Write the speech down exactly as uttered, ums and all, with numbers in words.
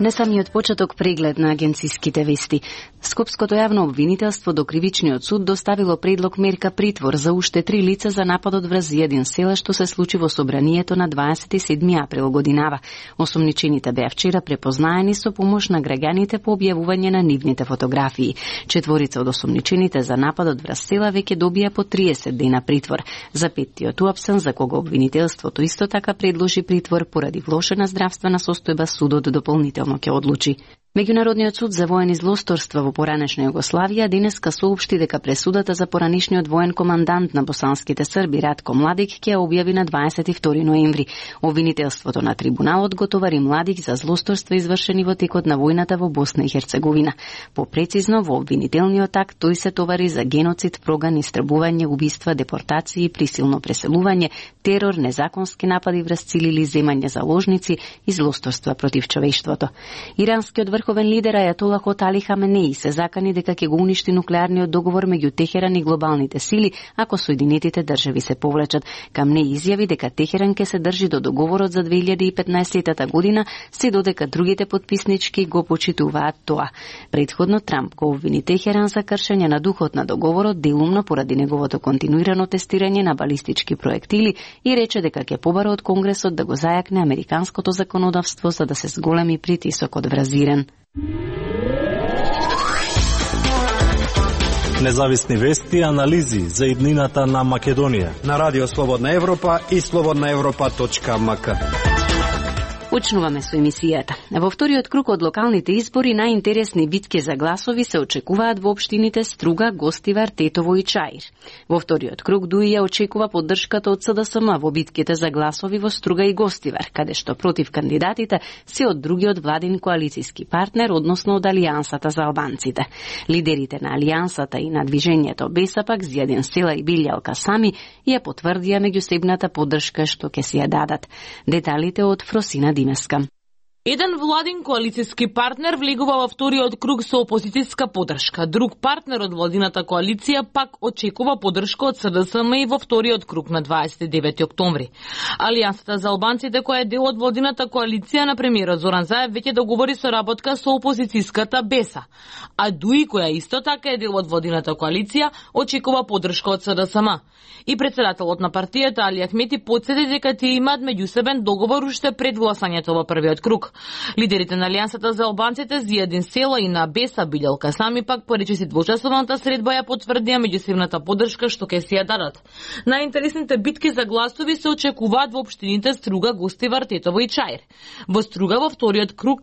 Не самиот почеток преглед на агенциските вести. Скопското јавно обвинителство до Кривичниот суд доставило предлог мерка притвор за уште три лица за нападот врз еден села што се случи во собранието на дваесет и седми април годинава. Осумничените беа вчера препознаени со помош на граѓаните по објавување на нивните фотографии. Четворица од осумничените за нападот врз села веќе добија по триесет дена притвор. За петтиот уапсен, за кого обвинителството исто така предложи притвор поради влошена здравствена состојба, судот дополнително ќе одлучи. Меѓународниот суд за воени злосторства во поранешна Југославија денеска соопшти дека пресудата за поранешниот воен командант на босанските срби Ратко Младик ќе објави на дваесет и втори ноември. Обвинителството на трибуналот го товари Младик за злосторства извршени во текот на војната во Босна и Херцеговина. Попрецизно, во обвинителниот акт тој се товари за геноцид, проган, истребување, убиства, депортации, присилно преселување, терор, незаконски напади врз цели или земање заложници и злосторства против човештвото. Иранскиот врховен лидер Ајатолах Али Хаменеи се закани дека ќе го уништи нуклеарниот договор меѓу Техеран и глобалните сили ако Соединетите држави се повлечат. Камнеи изјави дека Техеран ќе се држи до договорот за две илјади и петнаесета година, се додека другите потписнички го почитуваат тоа. Предходно Трамп го обвини Техеран за кршење на духот на договорот, делумно поради неговото континуирано тестирање на балистички проектили, и рече дека ќе побара од Конгресот да го зајакне американското законодавство за да се зголеми притисокот врз Иран. Независни вести и анализи за иднината на Македонија на Радио Слободна Европа и слободна европа точка ем ка. Почнуваме со емисијата. Во вториот круг од локалните избори најинтересни битки за гласови се очекуваат во општините Струга, Гостивар, Тетово и Чаир. Во вториот круг Дуија очекува поддршката од С Д С М во битките за гласови во Струга и Гостивар, каде што против кандидатите се од другиот владин коалициски партнер, односно од Алијансата за албанците. Лидерите на Алијансата и на движењето Беса пак Зијадин Села и Билјалка Сами ја потврдија меѓусебната поддршка што ќе си ја дадат. Деталите од Фросина Димеска. Еден владин коалициски партнер влегува во вториот круг со опозицијска поддршка. Друг партнер од владината коалиција пак очекува поддршка од С Д С М и во вториот круг на дваесет и девети октомври. Алијансата за албанците, која е дел од владината коалиција на премиерот Зоран Заев, веќе договори соработка со опозицијската Беса. А Дуи, која исто така е дел од владината коалиција, очекува поддршка од С Д С М. И председателот на партијата Али Ахмети потсети дека тие имаат меѓусебен договор уште пред гласањето во првиот круг. Лидерите на Алијансата за албанците Зијадин Села и на Беса Билјалка Сами пак поречиси двочасовната средба ја потврдија меѓусебната поддршка што ќе си ја дадат. Најинтересните битки за гласови се очекуваат во општините Струга, Гостивар, Тетово и Чаир. Во Струга во вториот круг